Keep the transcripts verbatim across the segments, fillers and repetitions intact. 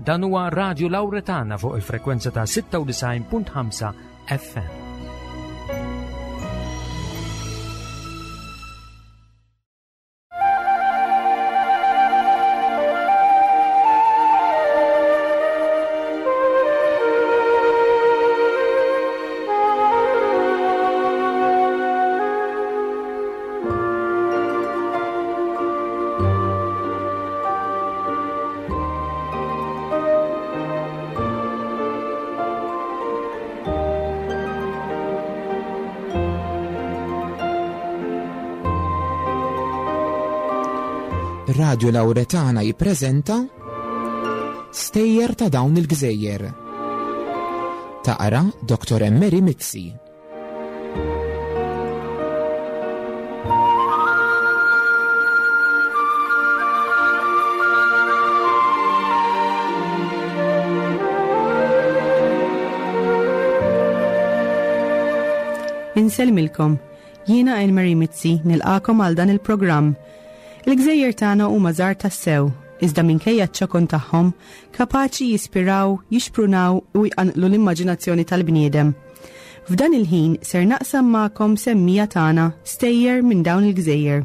Dan huwa Radio Lauretana fuq il-frekwenza ta' sitta u disgħin punt ħamsa F M. Radio Lauretana jippreżenta Stejjer ta' dawn il-gżejjer. Taqra Doktor Emery Mizzi. Insellmilkom, jiena Elmary Mizzi nilqagħkom għal dan il-programm. Il-gżejjer tagħna huma żgħar tassew, iżda minkejja ċ-ċokon tagħhom kapaċi jispiraw, jixprunaw u jqanqlu l-immaġinazzjoni tal-bniedem. F'dan il-ħin ser naqsam magħkom semmija tagħna stejjer minn dawn il-gżejjer.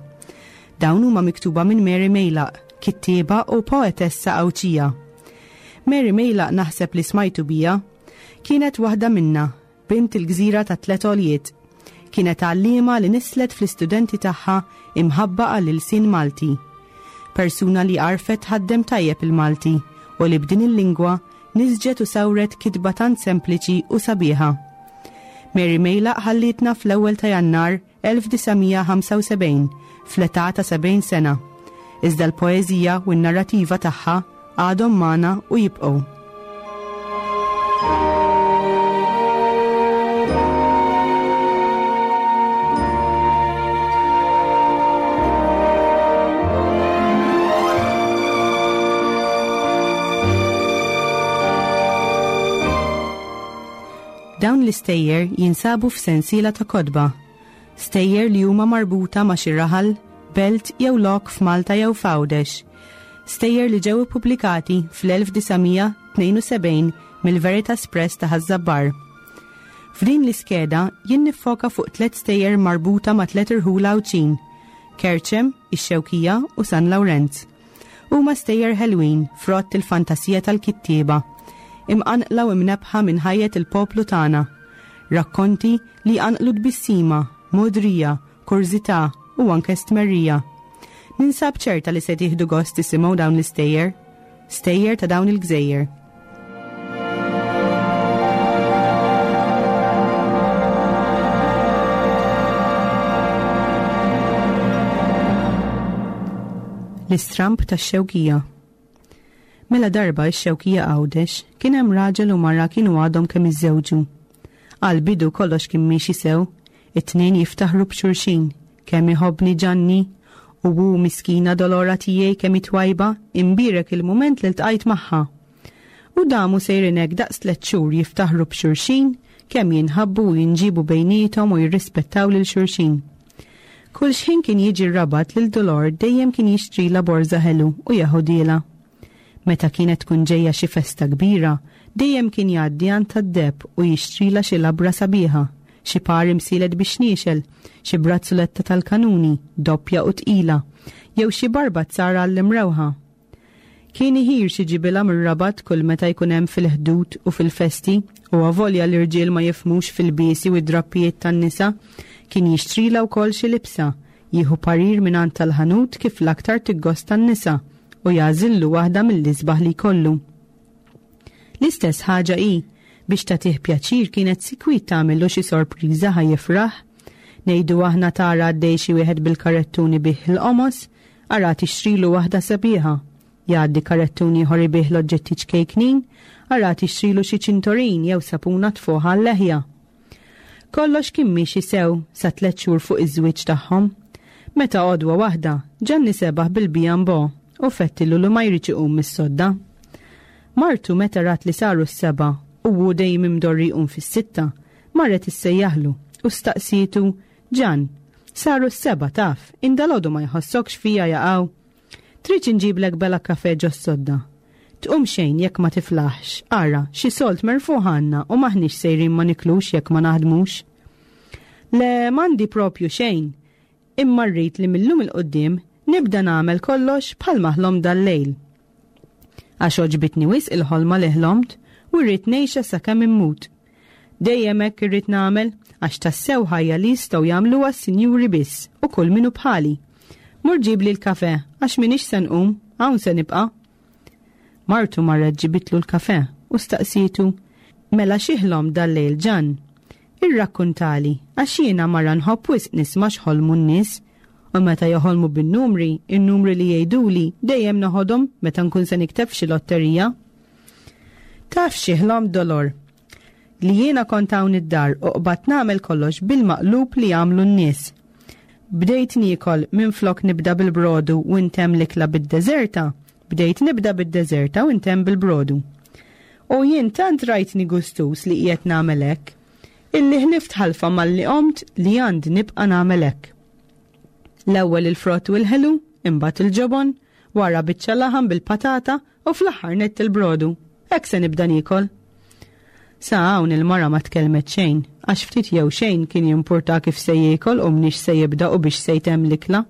Dawn huma miktuba minn Mary Mejlaq, kittieba u poetessa Għawdxija. Mary Mejlaq naħseb li smajtu bija, kienet waħda minna, bint il-gżira ta' tlet għoljiet. Kienet għallima li nislet fl-istudenti tagħha imħabba għall-ilsien Malti. Persuna li għarfet tħaddem tajjeb il-Malti u li b'din il-lingwa nisġet u sawret kitba tant sempliċi u sabiħa. Mary Mejlaq ħallitna fl-ewwel ta' Jannar elf disa' mija ħamsa u sebgħin fl-età ta' sebgħin sena. Iżda l-poeżija u n-narrativa tagħha għadhom magħna u jibqgħu. Dawn l-istejjer jinsabu f'sensiela ta' kotba. Stejjer li huma marbuta ma' xi raħal, belt jew lok f'Malta jew f'Għawdex. Stejjer li ġew ippubblikati fl-elf disa' mija tnejn u sebgħin mill-Veritas Press ta' Ħaż-Żabbar. F'din l-iskeda jien niffoka fuq tliet stejjer marbuta ma' tliet irħula Għawdxin: Kerċem, ix-Xewkija u San Lawrenz. Huma stejjer ħelwin frott il-fantasija tal-kittieba, imqanqla u imnebbħa minn ħajjet il-poplu tagħna. Rakkonti li jqanqlu tbissima, modrija, kurżità u anke stmerrija. Ninsab ċerta li se tieħdu gost tisimgħu dawn l-istejjer, stejjer ta' dawn il-gżejjer. L-istramp tax-Xewkija. Mela darba x-Xewkija Għawdex kien hemm raġel u mara kienu għadhom kemm iżżewġu. Għal bidu kollox kien miexi sew, it-tnejn jiftaħru b'xulxin, kemm iħobbni Ġanni, u hu miskina Dolora tiegħi kemm twajba, imbierek il-mument li ltqajt magħha. U damu sejrin hekk daqs tliet xhur jiftaħru b'xulxin, kemm jinħabbu u jinġibu bejniethom u jirrispettaw lil xulxin. Kull xħin kien jiġi r-Rabat lil Dolor dejjem kien jixtrila borża ħelu u jeħodhielha. Meta kienet tkun ġejja xi festa kbira, dejjem kien jgħaddi għand tad-deheb u jixtrila xi labra sabiħa, xi par imsielet bix-xniexel, xi brazzuletta tal-kanuni, doppja u tqila, jew xi barbazzara għall-imrewħa. Kien iħir x'iġibilha mir-Rabat kull meta jkun hemm fil-Ħdud u fil-festi, u avolja l-irġiel ma jifhmux fl-ilbiesi u d-drappijiet tan-nisa, kien jixtrila wkoll xi libsa, jieħu parir minn għand tal-ħanut kif l-aktar tiggosta n-nisa u jagħżillu waħda mill-isbaħ li jkollu. L-istess ħaġa hi biex tagħtih pjaċir kienet sikwit tagħmillu xi sorpriża ħa jifraħ. Ngħidu aħna tara għaddej xi wieħed bil-karettuni bih il-qomos, ara tixtrilu waħda sabiħa. Jgħaddi karettuni ieħor ibigħ l-oġġetti ċkejknin, ara tixtrilu xi ċintorin jew sapuna tfuħ għal-leħja. Kollox kien miexi sew sa tliet xhur fuq iż-żwieġ tagħhom. Meta għodwa waħda, Ġanni sebaħ bil-bijambo u fettillu li ma jridx iqum mis-sodda. Martu meta rat li saru s-sebgħa u hu dejjem imdorri jqum fis-sitta, marret issejjaħlu u staqsietu: "Ġan, saru s-sebgħa taf, indalodu ma jħossokx fija jaqaw. Trid inġiblek bela kafe ġos-sodda?" Tqum xejn jekk ma tiflaħx, ara, xi sold merfuħ għandna u m'aħniex sejrin ma niklux jekk ma naħdmux. Le m'għandi propju xejn, imma rrid li mil-lum 'il quddiem nibda nagħmel kollox bħalma ħlomt dal-lejl. Għax għoġbitni wisq il-ħolma li ħlomt u rrid ngħixha sakemm immut. Dejjem hekk irrid nagħmel għax tassew ħajja li jistgħu jagħmluha s-sinjuri biss u kull min hu bħali. Mur ġibli l-kafe għax m'iniex se nqum, hawn se nibqa'. Martu marret ġibitlu l-kafe u staqsietu, mela xi ħlomt dal-lejl Ġann? Irrakkuntali għax jiena mara nħobb wisq nisma' x'ħolmu n-nies u meta joħolmu bin-numri, in-numri li jgħiduli dejjem noħodhom meta nkun se nikteb f'xi lotterija. Taf xi ħlomt Dolor? Li jiena kont hawn id-dar u qbadt nagħmel kollox bil-maqlub li jagħmlu n-nies. Bdejt niekol minflok nibda bil-brodu u ntemm l-ikla bid-deżerta, bdejt nibda bid-deżerta u ntemm bil-brodu. U jien tant rajtni gustuż li qiegħed nagħmel hekk, illi ħlift ħalfa malli qomt li għandi nibqa' nagħmel hekk. L-ewwel il-frott u l-ħelu, imbagħad il-ġobon, wara biċċa laħam bil-patata u fl-aħħar nett il-brodu. Hekk se nibda niekol. Sa hawn il-mara ma tkellmet xejn, għax ftit jew xejn kien jimpurta kif se jiekol u mniex se jibda u biex se jtemm l-ikla.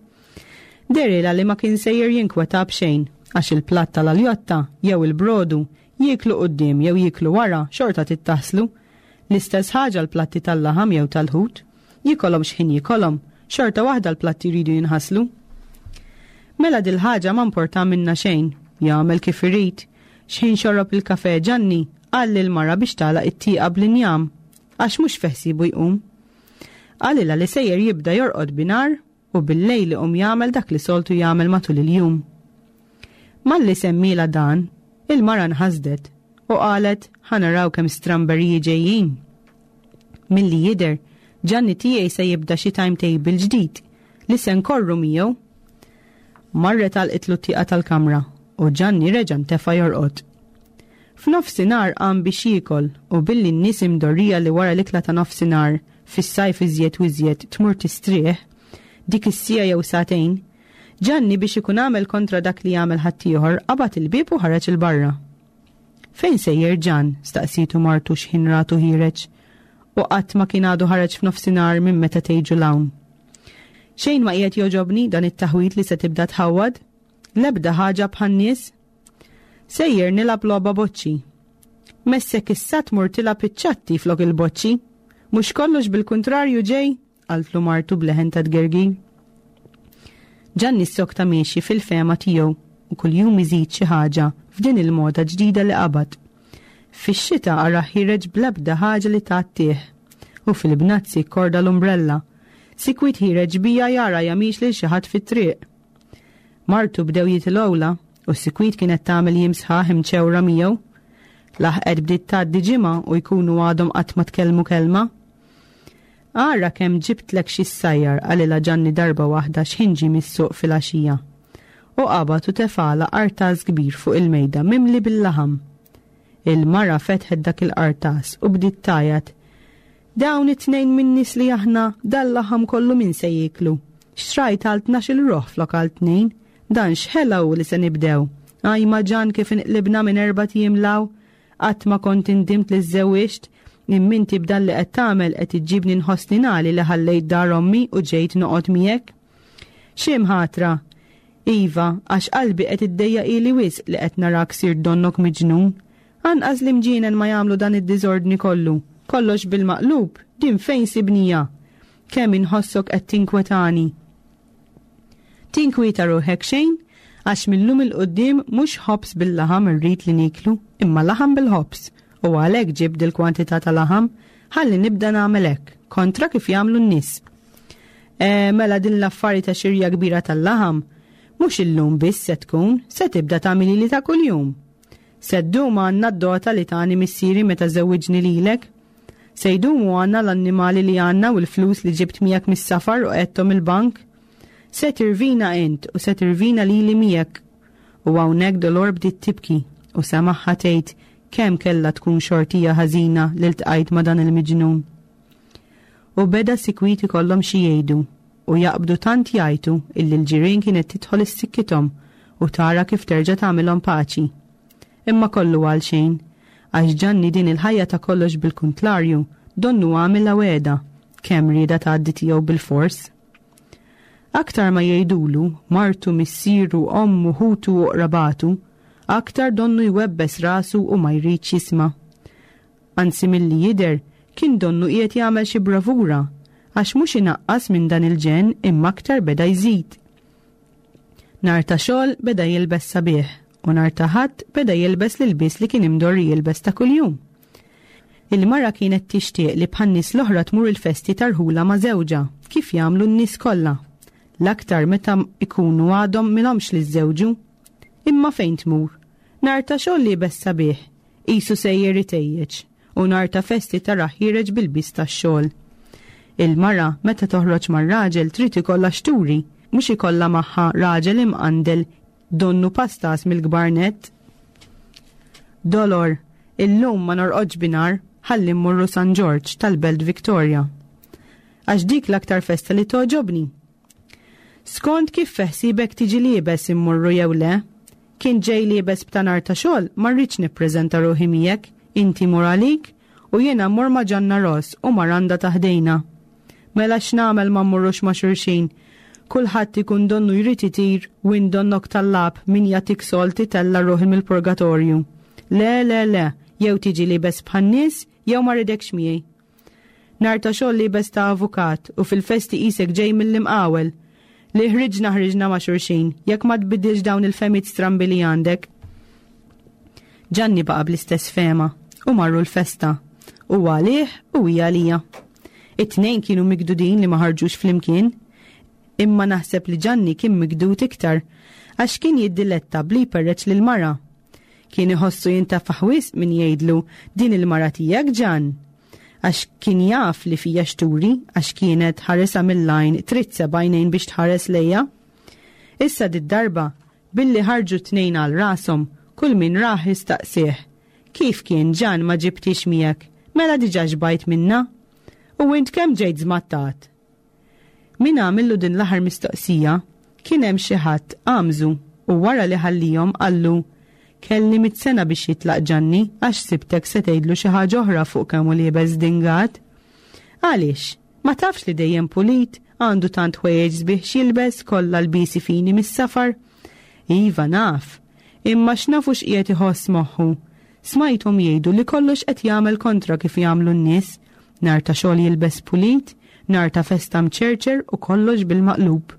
Dehrilha li ma kien sejjer jinkweta b'xejn, għax il-platt tal-aljotta jew il-brodu jieklu quddiem jew jieklu wara xorta tittaħslu. L-istess ħaġa l-platti tal-laħam jew tal-ħut, jikolhom x'ħin jikolhom, xorta waħda l-platti jridu jinħaslu. Mela dil-ħaġa ma importa minna xejn, jagħmel kif irid. X'ħin xorob il-kafe Ġanni, qal lill-mara biex tagħlaq it-tieqa bl-injam, għax mhux feħsibu jqum. Qalilha li sejjer jibda jorqod binhar u bil-lejl iqum jagħmel dak li soltu jagħmel matul il-jum. Malli semmielha dan, il-mara nħasdet u qalet ħa naraw kemm stramberiji ġejjin. Milli jidher, Ġanni tiegħi se jibda xi timetable ġdid li se nkorru miegħu. Marret għalqitlu t-tieqa tal-kamra u Ġanni reġa' ntefa' jorqod. F'nofsinhar qam biex jiekol u billi n-nies imdorrija li wara l-ikla ta' nofsinhar fis-sajf iżjed u iżjed tmur tistrieħ, dik is-siegħa jew sagħtejn, Ġanni biex ikun għamel kontra dak li jagħmel ħaddieħor qabad il-bieb u ħareġ 'il barra. Fejn sejjer Ġann? Staqsietu martu x'ħin ratu ħiereġ. U qatt ma kien għadu ħareġ f'nofsinhar minn meta tgħiġu 'l hawn. Xejn ma qiegħed jogħġobni dan it-taħwid li se tibda tħawwad, l-ebda ħaġa bħan-nies. Sejjer nilgħab logħba boċċi. Messek issa tmur tilgħab iċ-ċatti flok il-boċċi. Mhux kollox bil-kuntrarju ġej, qaltlu martu b'leħen ta' tgergir. Ġanni ssokta miexi fil-fehma tiegħu u kuljum iżid xi ħaġa f'din il-moda ġdida li qabad. Fix-xita ara ħireġ bl-ebda ħaġa li tgħattih u fil-bnazzi korda l-umbrella. Sikwit ħireġ bija jara jamix lil xi ħadd fit-triq. Martu bdew jitilgħula u sikwit kienet tagħmel jiem sħaħ imċewra miegħu. Laħqet bdiet tgħaddi ġimgħa u jkunu għadhom qatt ma tkellmu kelma. Ara kemm ġibtlek xi ssajjar, qalilha Ġanni darba waħda x'ħin ġie mis-suq filgħaxija. U qabad u tefala qartas kbir fuq il-mejda mimli bil-laħam. Il-mara fetħet dak il-qartas u bdiet tgħajjat. Dawn it-tnejn min-nies li aħna dal-laħam kollu min se jieklu. Xtrajt għal tnax-il ruħ flok għal tnejn, dan x'ħela hu li se nibdew. Ajma Ġann kif inqlibna minn erbat ijiem 'l hawn, qatt ma kont indimt li żżewwiġt, imma inti b'dan li qed tagħmel qed iġġibni nħossni nagħli li ħallejt dar ommi u ġejt noqgħod miegħek. Xi mħatra? Iva, għax qalbi qed iddejjaq ili wisq li qed narak sir donnok miġnun. Anqas li mġienen ma jagħmlu dan id-diżordni kollu. Kollox bil-maqlub, din fejn sibnija? Kemm inħossok qed tinkwetani. Tinkwieta ruħek xejn, għax mil-lum 'il quddiem mhux ħobż bil-laħam irrid li niklu, imma laħam bil-ħobż. U għalhekk ġib dil-kwantità ta' laħam, ħalli nibda nagħmel hekk, kontra kif jagħmlu n-nies. E, mela din l-affari ta' xirja kbira tal-laħam, mhux illum biss se tkun, se tibda tagħmili li ta' kuljum. Se ddum għandna d-dota li tani missieri meta żewwiġni lilek. Se jdumu għandna l-annimali li għandna u l-flus li ġibt miegħek mis-safar u qegħedthom il-bank. Se tirvina int u se tirvina lili miegħek. U hawnhekk Dolor bdiet tibki u semaħħa tgħid kemm kellha tkun xortija ħażina li ltqajt ma' dan il-miġnun. U beda sikwit ikollhom xi jgħidu u jaqbdu tant jgħajtu illi l-ġirien kienet tidħol issikkithom u tara kif terġa' tagħmilhom paċi. Imma kollu għal xejn, għax Ġanni din il-ħajja ta' kollox bil-kuntlarju donnu għamilha wegħda, kemm rieda tgħaddi tiegħu bilfors. Aktar ma jgħidulu, martu, missieru, ommu, ħutu u qrabatu, aktar donnu jwebbes rasu u ma jridx jisma'. Anzi milli jidher, kien donnu qiegħed jagħmel xi bravura, għax mhux inaqqas minn dan il-ġenn imma aktar beda jżid. Nhar ta' xogħol beda jilbes sabiħ u nhar ta' Ħadd beda jilbes l-ilbies li kien imdorri jilbes ta' kuljum. Il-mara kienet tixtieq li bħan-nies l-oħra tmur il-festi tarħula ma' żewġha, kif jagħmlu n-nies kollha. L-aktar meta ikunu għadhom milhomx li żżewġu. Imma fejn tmur? Nhar ta' xogħol liebes sabiħ, qisu sejjer itejjeġ, u nhar ta' festi tarah ħiereġ bil-lbies tax-xogħol. Il-mara meta toħroġ mar-raġel trid ikollha x'turi, mhux ikollha magħha raġel imqandel donnu pastas mill-kbar nett. Dolor, illum ma norqodx binhar, ħalli mmorru San Ġorġ tal-Belt Victoria. Għax dik l-aktar festa li togħġobni. Skont kif feħsibek tiġi liebes immorru jew le, kien ġej liebes b'ta' nhar ta' xogħol ma rridx nippreżenta ruħi miegħek, inti mur għalik u jiena mmur ma' Ġanna Ross u ma' Randa ta' ħdejna. Mela x'nagħmel ma mmorrux ma' xulxin? Kulħadd ikun donnu jrid itir u int donnok tallab min jagħtik solti tella' ruħi mill-purgatorju. Le, le, le, jew tiġi liebes bħan-nies jew ma rridekx miegħi. Nhar ta' xogħol liebes ta' avukat u fil-festi qisek ġej mill-imqawel. Li ħriġna ħriġna ma' xulxin, jekk ma tbiddilx dawn il-fehmiet strambi li għandek. Ġanni baqa' bl-istess fehma u marru l-festa. U għalih u hija għalija. It-tnejn kienu migdudin li ma ħarġux flimkien, imma naħseb li Ġanni kien migdud iktar għax kien jiddiletta bli jperreċ lil mara. Kien iħossu jintafaħ wisq min jgħidlu din il-mara tiegħek Ġann. Għax kien jaf li fija xturi għax kienet ħaresa mill-għajn trid seba' għajnejn biex tħares lejja. Issa did-darba billi ħarġu tnejn għal rashom kull min rah jistaqsih. Kif kien Ġann ma ġibtix miegħek? Mela diġà xbajt minna? U int kemm ġejt żmattat? Min għamillu din l-aħħar mistoqsija kien hemm xi ħadd għamżu u wara li ħallihom qallu kelli mitt sena biex jitlaq Ġanni għax sibtek se tgħidlu xi ħaġa oħra fuq kemm hu liebes dingat. Għaliex? Ma tafx li dejjem pulit, għandu tant ħwejjeġ sbieħ x'jilbes kollha lbiesi fini mis-safar? Iva naf, imma x'nafu x'qiegħed iħoss moħħu. Smajthom jgħidu li kollox qed jagħmel kontra kif jagħmlu n-nies. Nhar ta' xogħol jilbes pulit, nhar ta' festa mċerċer u kollox bil-maqlub.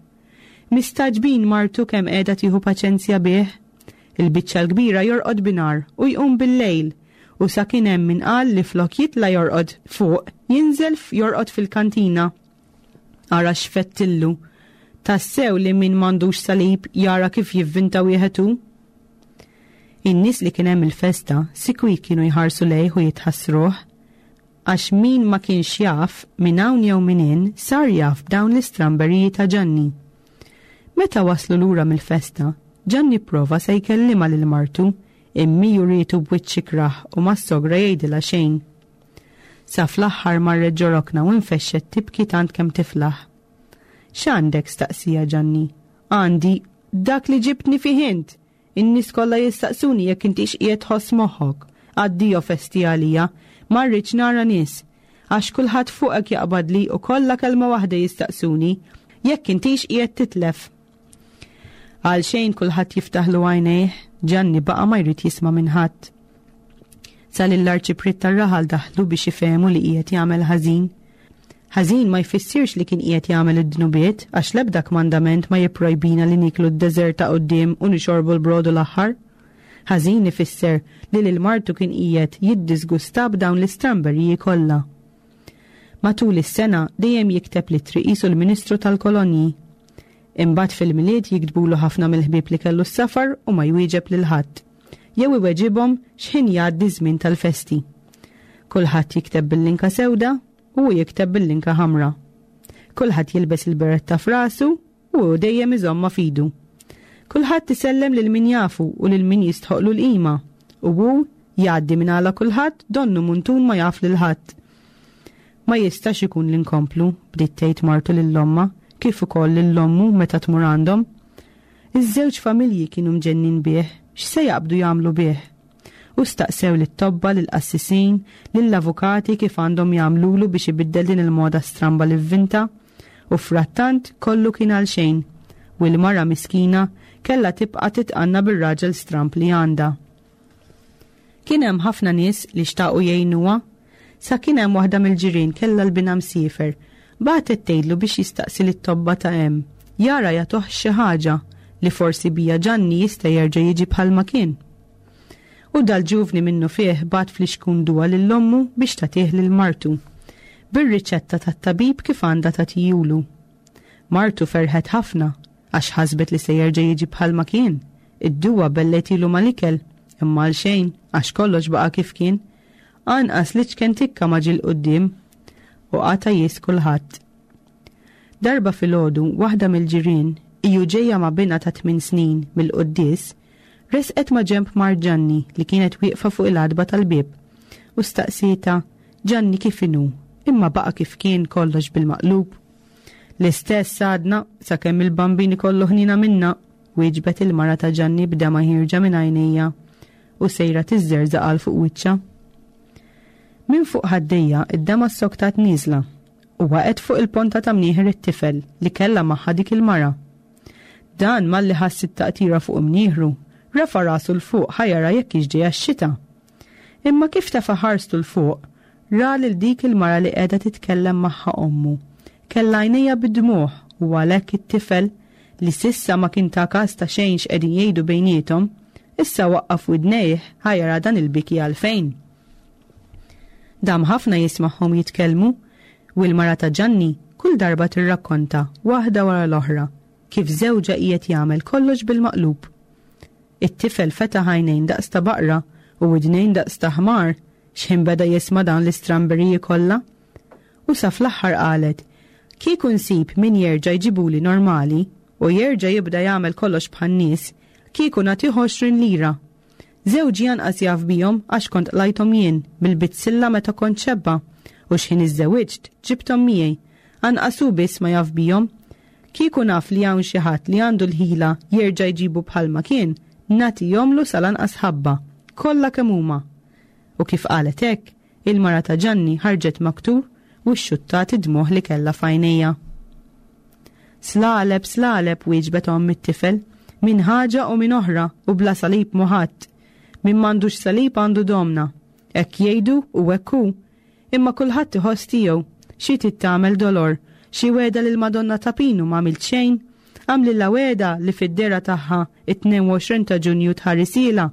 Mistagħġbin martu kemm qiegħda tieħu paċenzja bih. Il-biċċa l-kbira jorqod binhar u jqum bil-lejl u sa kien hemm min qal li flok jitla' jorqod fuq, jinżel jorqod fil-kantina. Ara x'fettillu. Tassew li min m'għandux salib jara kif jivvinta wieħed hu. In-nies li kien hemm il-festa sikwit kienu jħarsu lejh u jitħassruh, għax min ma kienx jaf minn hawn jew minn hinn sar jaf b'dawn l-istramberiji ta' Ġanni. Meta waslu lura mill-festa, Ġanni prova se jkellimha lil martu, imma urietu b'wiċċ ikrah u ma sogra jgħidilha xejn. Sa fl-aħħar marret ġo rokna u nfexxet tibki tant kemm tiflaħ. X'għandek? staqsija Ġanni. Għandi dak li ġibtni fih int. In-nies kollha jistaqsuni jekk intix qiegħed tħoss moħħok. Addio festi għalija, ma rridx nara nies. Għax kulħadd fuqek jaqbadli u kollha kelma waħda jistaqsuni jekk intix qiegħed titlef. Għal xejn kulħadd jiftaħlu għajnejh, Ġanni baqa' ma jrid jisma' minn ħadd. Sa lill-arċipriet tar-raħal daħlu biex ifehmu li qiegħed jagħmel ħażin. Ħażin ma jfissirx li kien qiegħed jagħmel id-dnubiet għax l-ebda kmandament ma jipprojbina li niklu d-deżert ta' quddiem u nixorbu l-brodu l-aħħar. Ħażin ifisser li lil martu kien qiegħed jiddisgusta b'dawn l-istramberiji kollha. Matul is-sena dejjem jikteb littri qisu l-Ministru tal-Kolonji. Imbagħad fil-Milied jiktbulu ħafna mill-ħbieb li kellu s-safar u ma jwieġeb lil ħadd. Jew iweġibhom x'ħin jgħaddi żmien tal-festi. Kulħadd jikteb bil-linka sewda u hu jikteb bil-linka ħamra. Kulħadd jilbes il-beretta f'rasu u hu dejjem iżommha f'idu. Kulħadd isellem lil min jafu u lil min jistħoqlu l-qima u hu jgħaddi minn għala kulħadd donnu muntun ma jaf lil ħadd. Ma jistax ikun li nkomplu, bdiet tgħid martu lil ommha, kif ukoll lil ommu meta tmur għandhom. Iż-żewġ familji kienu mġennin bih, x'se jaqbdu jagħmlu bih. U staqsew lit-tobba, lill-qassisin, lill-avukati kif għandhom jagħmlulu biex ibiddel din il-moda stramba li vvinta, u frattant kollu kien għal xejn, u l-mara miskina kellha tibqa' titqanna bir-raġel stramb li għandha. Kien hemm ħafna nies li xtaqu jgħinuha, sa kien hemm waħda mill-ġirien kellha l-binha msiefer, bagħtet tgħidlu biex jistaqsi lit-tobba ta' hemm, jara jagħtuh xi ħaġa li forsi bija Ġanni jista' jerġa' jiġi bħalma kien. U dal-ġuvni minnu fih bagħat flixkun duwa lil ommu biex tagħtih lil martu, bir-riċetta tat-tabib kif għandha tagħtihulu. Martu ferħet ħafna għax ħasbet li se jerġa' jiġi bħalma kien. Id-duwa belletilu mal-ikel, imma għal xejn għax kollox baqa' kif kien. Anqas li ċken tikka ma ġie 'l quddiem u qata' jies kulħadd. Darba filgħodu waħda mill-ġirien, iju ġejja ma' binha ta' tmien snin mill-quddies, resqet ma' ġenb mart Ġanni li kienet wieqfa fuq il-għatba tal-bieb u staqsietha, Ġanni kif inhu? Imma baqa' kif kien kollox bil-maqlub. L-istess għadna sakemm il-Bambin ikollu ħniena minna, wieġbet il-mara ta' Ġanni b'demgħa ħierġa minn għajnejha u sejra tiżżerżaq għal fuq wiċċha. Minn fuq ħaddejja id-demgħa ssoktat nieżla u waqgħet fuq il-ponta ta' mnieħer it-tifel li kellha magħha dik il-mara. Dan malli ħass it-taqtira fuq imnieħru, rafa' rasu 'l fuq ħa jara jekk hix ġejja x-xita. Imma kif tefa' ħarstu 'l fuq, ra lil dik il-mara li qiegħda titkellem magħha ommu. Kellha għajnejha bid-dmugħ u għalhekk it-tifel, li s'issa ma kien ta kas ta' xejn x'qegħdin jgħidu bejniethom, issa waqqaf widnejh ħa jara dan il-biki għalfejn. Dam ħafna jismagħhom jitkellmu u l-mara ta' Ġanni kull darba tirrakkonta waħda wara l-oħra kif żewġha qiegħed jagħmel kollox bil-maqlub. It-tifel fetaħ għajnejn daqs ta' baqra u widnejn daqs ta' ħmar x'ħin beda jisma' dawn l-istramberiji kollha. U sa fl-aħħar qalet, kieku nsib min jerġa' jġibuli normali u jerġa' jibda jagħmel kollox bħan-nies, kieku nagħtih għoxrin lira. Żewġi anqas jaf bihom għax kont qlajthom jien bil-bizzilla meta kont xebba u x'ħin iżżewwiġt ġibthom miegħi, anqas hu biss ma jaf bihom. Kieku naf li hawn xi ħadd li għandu l-ħila jerġa' jġibu bħalma kien, nagħtihomlu sal-anqas ħabba, kollha kemm huma. U kif qalet hekk, il-mara ta' Ġanni ħarġet maktur u xxuttat id-dmugħ li kellha f'għajnejha. Slaleb, slaleb, wieġbet omm it-tifel, minn ħaġa u minn oħra u bla salib mhu ħadd. Min m'għandux salib għandu domna. Hekk jgħidu u hekk hu. Imma kulħadd iħoss tiegħu. Xi trid tagħmel Dolor? Xi wegħda lil Madonna ta' Pinu m'għamilt xejn? Għamlilha wegħda li fid-dehra tagħha it-tnejn u għoxrin ta' Ġunju tħarisilha.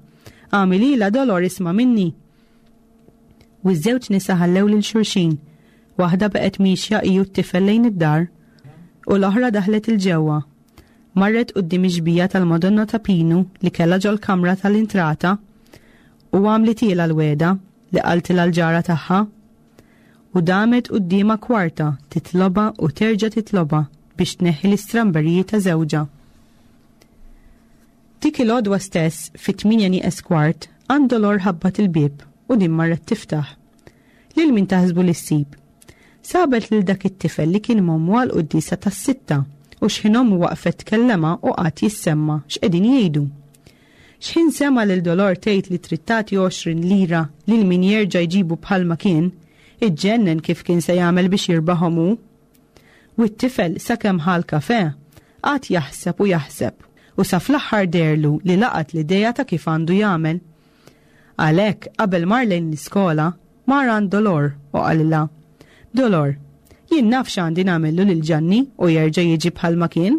Għamililha Dolor isma' minni. U ż-żewġ nisa ħallew lil xulxin. Waħda baqgħet miexja hi u t-tifel lejn id-dar u l-oħra daħlet il-ġewwa. Marret quddiem ix-xbieha tal-Madonna ta' Pinu li kellha ġol-kamra tal-intrata u għamlitilha l-wegħda li qaltilha l-ġara tagħha. U damet quddiemha kwarta titlobha u terġa' titlobha biex tneħħi l-istramberiji ta' żewġha. Dik il-għodwa stess fit-tmienja nieqes kwart għand Dolor ħabbat il-bieb u din marret tiftaħ. Lil min taħsbu li ssib? Sabet lil dak it-tifel li kien m'ommu għal quddiesa tas-sitta u x'ħin ommu waqfet tkellema u qagħad jissemma x'qegħdin jgħidu. X'ħin sema lil Dolor tgħid li trid tagħti għoxrin lira lil min jerġa' jġibu bħalma kien, iġġennen kif kien se jagħmel biex jirbaħhom hu. U t-tifel sakemm ħa l-kafè, qagħad jaħseb u jaħseb u sa fl-aħħar deherlu li laqat l-idea ta' kif għandu jagħmel. Għalhekk qabel mar lejn l-iskola, mar għand Dolor u qalilha, Dolor, jien naf x'għandi nagħmillu lil Ġanni u jerġa' jiġi bħalma kien.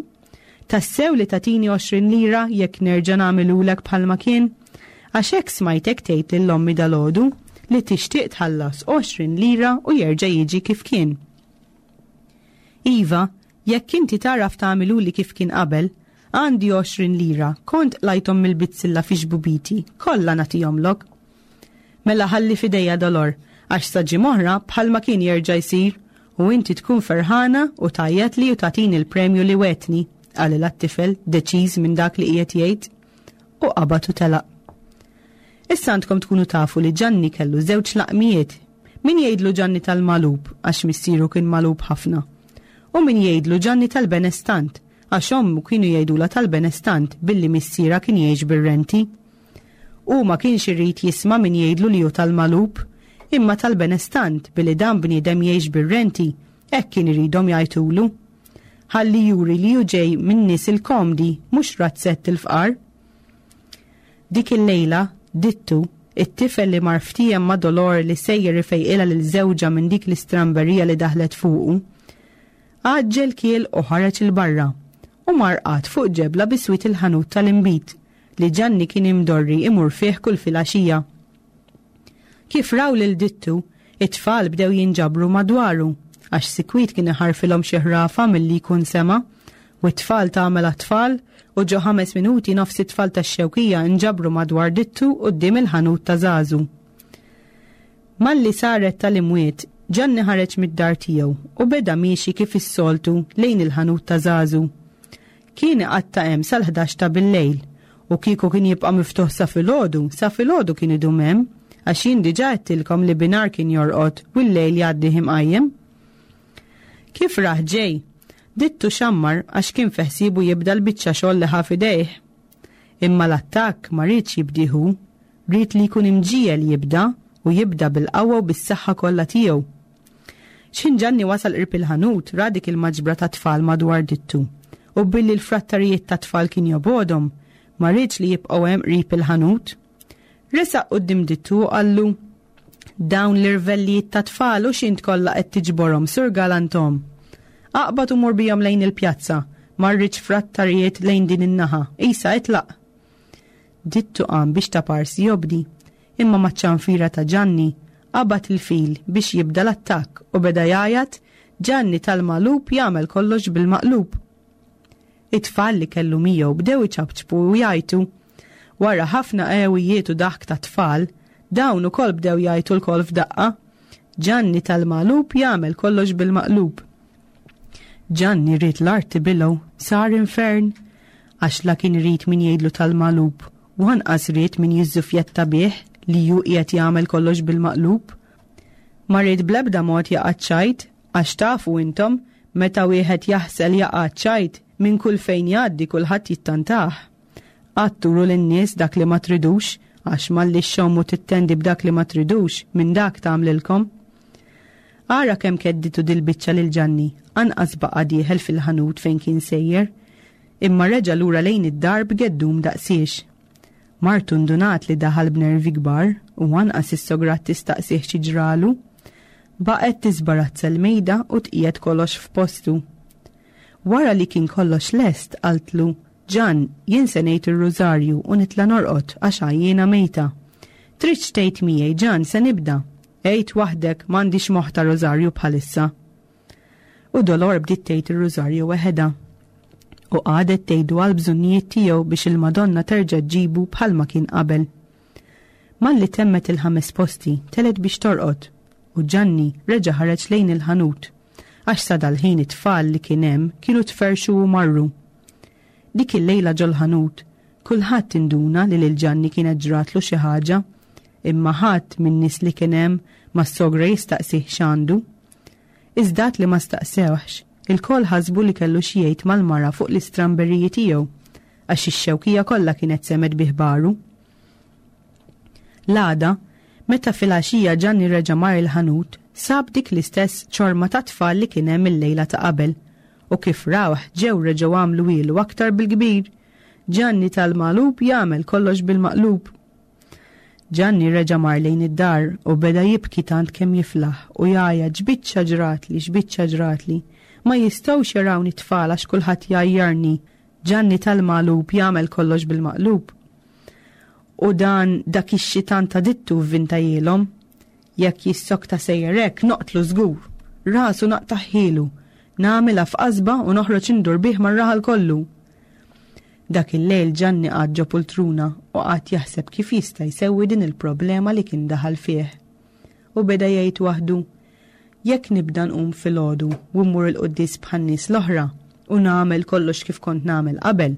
Tassew li tagħtini għoxrin lira jekk nerġa' nagħmilulek bħalma kien? Għax hekk smajtek tgħid lil ommi dalgħodu li tixtieq tħallas għoxrin lira u jerġa' jiġi kif kien. Iva, jekk inti tagħraf tagħmiluli kif kien qabel, għandi għoxrin lira, kont qlajthom mill-bizzilla fi xbubiti, kollha nagħtihomlok. Mela ħalli f'idejja Dolor, għax sa ġimgħa oħra bħalma kien jerġa' jsir u inti tkun ferħana u tgħajjatli u tagħtini l-premju li wegħdtni, qalilha t-tifel deċiż minn dak li qiegħed jgħid, u qabad u telaq. Issa għandkom tkunu tafu li Ġanni kellu żewġ laqmijiet, min jgħidlu Ġanni tal-Malub għax missieru kien malub ħafna, u min jgħidlu Ġanni tal-Benestant għax ommu kienu jgħidulha tal-Benestant billi missierha kien jgħix bir-renti. Hu ma kienx irid jisma' min jgħidlu li hu tal-malub, imma tal-benestant billi dan bniedem jgħix bir-renti, hekk kien iridhom jgħajtulu. Ħalli juri li hu ġej minn nies il-komdi, mhux razzett il-fqar. Dik il-lejla, Dittu, it-tifel li mar ftiehem ma' Dolor li sejjer ifejqilha lil żewġha minn dik l-istramberija li daħlet fuqu, għaġġel kiel u ħareġ 'il barra u mar qagħad fuq ġebla biswit il-ħanut tal-inbid li Ġanni kien imdorri imur fih kull filgħaxija. Kif raw lil Dittu, it-tfal bdew jinġabru madwaru, għax sikwit kien iħarfilhom xi ħrafa milli jkun sema', u t-tfal tagħmel għat-tfal, u ġo ħames minuti nofs it-tfal tax-Xewkija nġabru madwar Dittu quddiem il-ħanut ta' Żagħżu. Malli saret tal-imwiet, Ġanni ħareġ mid-dar tiegħu u beda miexi kif is-soltu lejn il-ħanut ta' Żagħżu. Kien iqatta' hemm sal-ħdax ta' bil-lejl, u kieku kien jibqa' miftuħ sa filgħodu, sa filgħodu kien idum hemm, għax jien diġà għedtilkom li binhar kien jorqod u l-lejl jgħaddih imqajjem. Kif rah ġej, Dittu xammar għax kien fi ħsiebu jibda l-biċċa xogħol li ħa f'idejh. Imma l-attakk ma riedx jibdih hu, ried li jkun imġiegħel jibda u jibda bil-qawwa u bis-saħħa kollha tiegħu. X'ħin Ġanni wasal qrib il-ħanut, ra dik il-maġbra ta' tfal madwar Dittu, u billi l-frattarijiet ta' tfal kien jobgħodhom, ma riedx li jibqgħu hemm qrib il-ħanut. Resaq quddiem Dittu u qallu, Dawn l-irvellijiet ta' tfal u x'int kollha qed tiġborhom, Sur Galantom? Aqbad u mur bihom lejn il-pjazza, ma rridx frattarijiet lejn din in-naħa, isa itlaq. Dittu qam biex ta' parsi jobdi, imma maċ-ċanfira ta' Ġanni qabad il-fil biex jibda l-attakk u beda jgħajjat, Ġanni tal-magħlub jagħmel kollox bil-maqlub. It-tfal li kellu miegħu bdew iċapċpu u jgħajtu. Wara ħafna qewijiet u daħk ta' tfal, dawn ukoll bdew jgħajtu lkoll f'daqqa, Ġanni tal-magħlub jagħmel kollox bil-maqlub. Ġanni ried l-art tibilgħu, sar infern, għax la kien irid min jgħidlu tal-magħlub, u anqas ried min jiżżufjetta bih li hu qiegħed jagħmel kollox bil-maqlub. Ma ried bl-ebda mod jaqa' ċajt, għax tafu intom, meta wieħed jaħsel jaqa' ċajt, minn kull fejn jgħaddi kulħadd jittantah. Qatt turu lin-nies dak li ma tridux, għax malli xxommu tittendi b'dak li ma tridux, minn dak tagħmlilkom. Ara kemm kedditu dil-biċċa lil Ġanni, anqas baqa' dieħel fil-ħanut fejn kien sejjer, imma reġa' lura lejn id-dar b'geddum daqsiex. Martu ndunat li daħal b'nervi kbar u anqas is-sograt tistaqsih xi ġralu. Baqgħet tiżbarazza l-mejda u tqiegħed kollox f'postu. Wara li kien kollox lest, qaltlu, Ġan, jien se ngħid ir-rużarju u nitla' norqod għax għajjiena mejta. Tridx tgħid miegħi, Ġan, se nibda. Għid waħdek, m'għandix moħħ ta' rużarju bħalissa. U Dolor bdiet tgħid ir-rużarju weħedha. U qagħdet tgħidu għal bżonnijiet tiegħu biex il-Madonna terġa' ġġibu bħalma kien qabel. Malli temmet il-ħames posti, telet biex torqod, u Ġanni reġa' ħareġ lejn il-ħanut, għax sa dal-ħin it-tfal li kien hemm kienu tferrxu u marru. Dik il-lejla ġol-ħanut, kulħadd induna li lil Ġanni kienet ġratlu xi ħaġa, imma ħadd min-nies li kien hemm ma s-sogra jistaqsih x'għandu. Iżda li ma staqsewhx, ilkoll ħasbu li kellu xi jgħid mal-mara fuq l-istramberiji tiegħu, għax ix-Xewkija kollha kienet semgħet bi ħbaru. L-għada, meta filgħaxija Ġanni reġa' mar il-ħanut, sab dik l-istess ċorma ta' tfal li kien hemm il-lejla ta' qabel, u kif rawh ġew reġgħu għamlu ilu aktar bil-kbir. Ġanni tal-magħlub jagħmel kollox bil-maqlub. Ġanni reġa' mar lejn id-dar u beda jibki tant kemm jiflaħ u jgħajjat x'biċċa ġratli, x'biċċa ġratli. Ma jistgħux jarawni t-tfal għax kulħadd jgħajjarni. Ġanni tal-magħlub jagħmel kollox bil-maqlub. U dan dak ix-xitan ta' Dittu vvintajielhom. Jekk jissokta sejjer hekk noqtlu żgur. Rasu naqtaħħilu. Nagħmilha f'qasba u noħroġ indur bih mar-raħal kollu. Dak il-lejl Ġanni qagħad ġo pultruna u qagħad jaħseb kif jista' jsewwi din il-problema li kien daħal fih. U beda jgħid waħdu, jekk nibda nqum filgħodu u mmur il-quddies bħan-nies l-oħra u nagħmel kollox kif kont nagħmel qabel,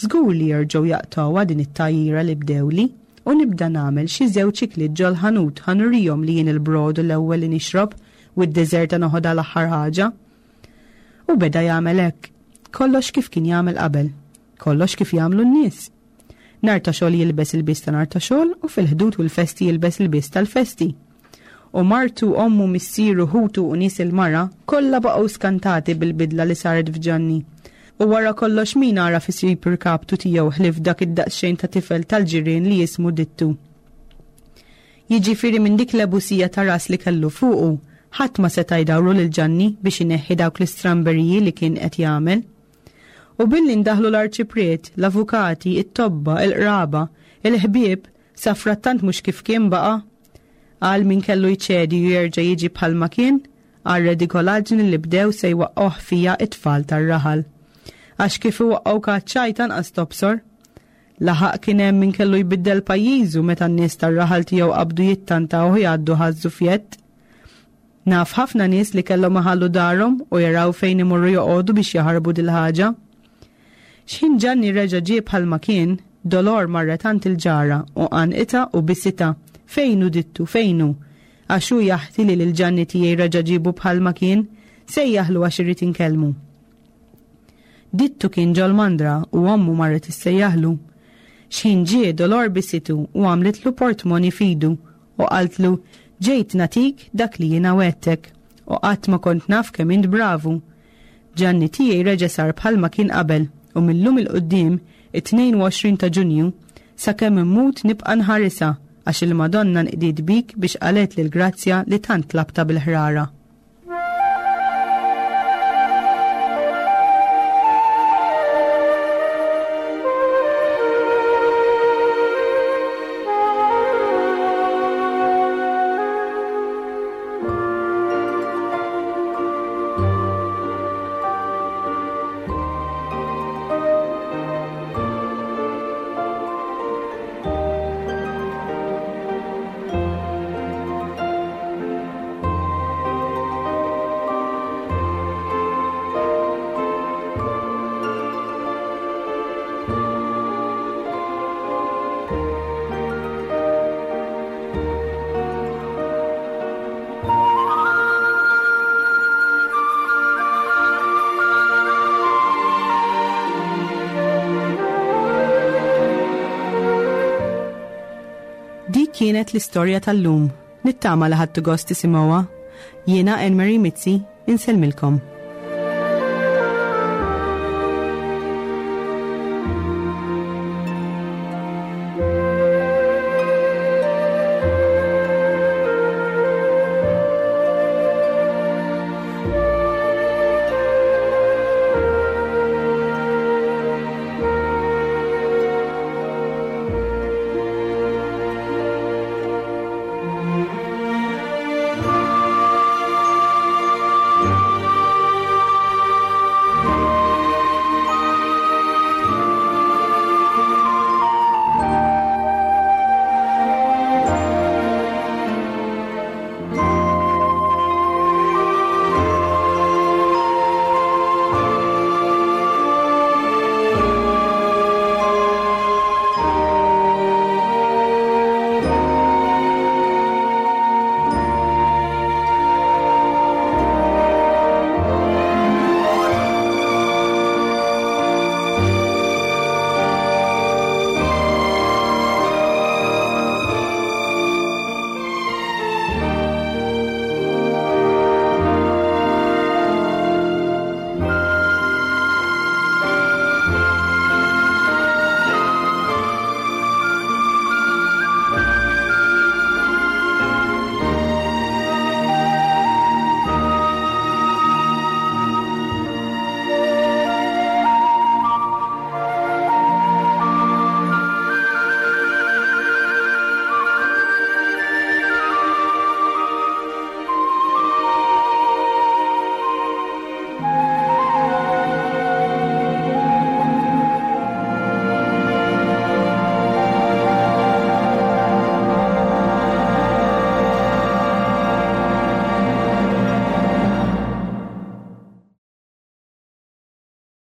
żgur li jerġgħu jaqtgħuha din it-tgħajjira li bdewli u nibda nagħmel xi żewġ ikliet ġol-ħanut ħa nurihom li jien il-brodu l-ewwel li nixrob u d-deżerta noħodha l-aħħar ħaġa. U beda jagħmel hekk, kollox kif kien jagħmel qabel, kollox kif jagħmlu n-nies. Nhar ta' xogħol jilbes ilbies ta' nhar ta' xogħol u fil-Ħdud u l-festi jilbes ilbies tal-festi. U martu, ommu, missieru, ħutu u nies il-mara kollha baqgħu skantati bil-bidla li saret f'Ġanni. U wara kollox min għaraf isib irkaptu tiegħu ħlief dak id-daqsxejn ta' tifel tal-ġirien li jismu Dittu. Jiġifieri minn dik l-ebusija ta' ras li kellu fuqu, ħadd ma seta' jdawru lil Ġanni biex ineħħi dawk l-istramberiji li kien qed jagħmel. U billi ndaħlu l-arċipriet, l-avukati, it-tobba, il-qraba, il-ħbieb, safrattant mhux kif kien baqa'. Għal min kellu jċedi u jerġa' jiġi bħalma kien, għal redikolaġni li bdew se jwaqqgħuh fija it-tfal tar-raħal. Għax kif iwaqqgħu kaċċajt anqas tobsor. Laħaq kien hemm min kellu jbiddel pajjiżu meta n-nies tar-raħal tiegħu qabdu jittantaw u jgħaddu ħaż-żufjett. Naf ħafna nies li kellhom iħallu darhom u jaraw fejn imorru joqogħdu biex jaħarbu dil-ħaġa. X'ħin Ġanni reġa' ġie bħalma kien, Dolor marret għand il-ġara u għannqitha u bisitha. Fejn hu Dittu, fejn hu? Għax hu jaħti li lil Ġanni tiegħi reġa' ġiebu bħalma kien, sejjaħlu għax irrid inkellmu. Dittu kien ġol-mandra u ommu marret issejjaħlu. X'ħin ġie Dolor bisitu u għamlitlu portmoni f'idu u qaltlu, Ġejt nagħtik dak li jiena wegħdtek u qatt ma kont naf kemm int bravu. Ġanni tiegħi reġa' sar bħalma kien qabel u mil-lum 'il quddiem, it-tnejn u għoxrin ta' Ġunju, sakemm immut nibqa' nħarisha għax il-Madonna nqdiet bik biex qalgħetli l-grazzja li tant tlabtha bil-ħrara. Dik kienet l-istorja tal-lum. Nittama li ħadtu gost tisimgħuha. Jiena Anne Marie Mizzi, insellmilkom.